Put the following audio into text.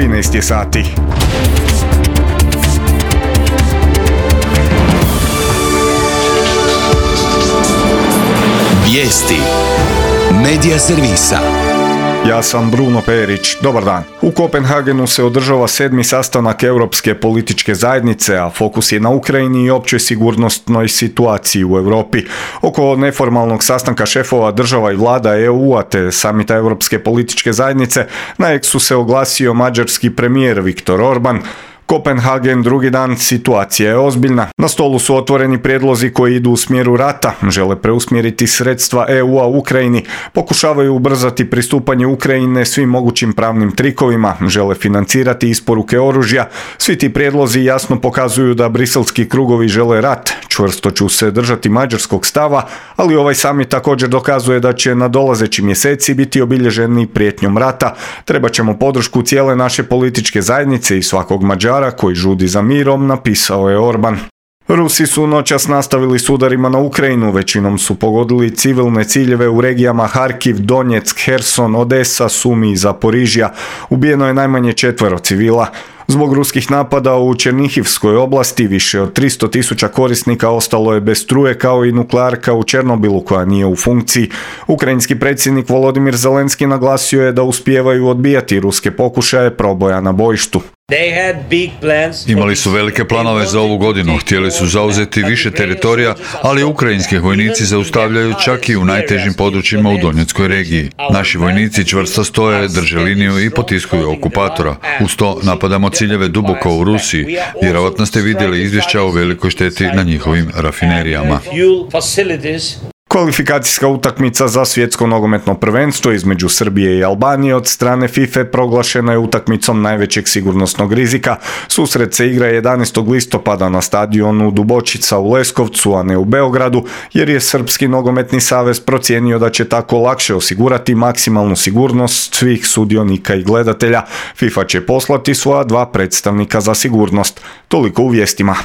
13 je sati. Vijesti Medija servisa. Ja sam Bruno Perić. Dobar dan. U Kopenhagenu se održava 7. sastanak Europske političke zajednice, a fokus je na Ukrajini i općoj sigurnosnoj situaciji u Europi. Oko neformalnog sastanka šefova država i vlada EU-a te samita Europske političke zajednice na X-u se oglasio mađarski premijer Viktor Orban. Kopenhagen, drugi dan, situacija je ozbiljna. Na stolu su otvoreni prijedlozi koji idu u smjeru rata, žele preusmjeriti sredstva EU-a u Ukrajini, pokušavaju ubrzati pristupanje Ukrajine svim mogućim pravnim trikovima, žele financirati isporuke oružja. Svi ti prijedlozi jasno pokazuju da briselski krugovi žele rat. Čvrsto ću se držati mađarskog stava, ali ovaj samit također dokazuje da će nadolazeći mjeseci biti obilježeni prijetnjom rata. Trebat ćemo podršku cijele naše političke zajednice i svakog Mađara koji žudi za mirom, napisao je Orban. Rusi su noćas nastavili s udarima na Ukrajinu, većinom su pogodili civilne ciljeve u regijama Harkiv, Donjeck, Herson, Odesa, Sumi i Zaporižja. Ubijeno je najmanje 4 civila. Zbog ruskih napada u Černihivskoj oblasti više od 300.000 korisnika ostalo je bez struje, kao i nuklearka u Černobilu koja nije u funkciji. Ukrajinski predsjednik Volodimir Zelenski naglasio je da uspijevaju odbijati ruske pokušaje proboja na bojištu. Imali su velike planove za ovu godinu, htjeli su zauzeti više teritorija, ali ukrajinski vojnici zaustavljaju čak i u najtežim područjima u Donjeckoj regiji. Naši vojnici čvrsto stoje, drže liniju i potiskuju okupatora. Uz to napadamo ciljeve duboko u Rusiji. Vjerojatno ste vidjeli izvješća o velikoj šteti na njihovim rafinerijama. Kvalifikacijska utakmica za svjetsko nogometno prvenstvo između Srbije i Albanije od strane FIFA proglašena je utakmicom najvećeg sigurnosnog rizika. Susret se igra 11. listopada na stadionu Dubočica u Leskovcu, a ne u Beogradu, jer je Srpski nogometni savez procijenio da će tako lakše osigurati maksimalnu sigurnost svih sudionika i gledatelja. FIFA će poslati svoja 2 predstavnika za sigurnost. Toliko u vijestima.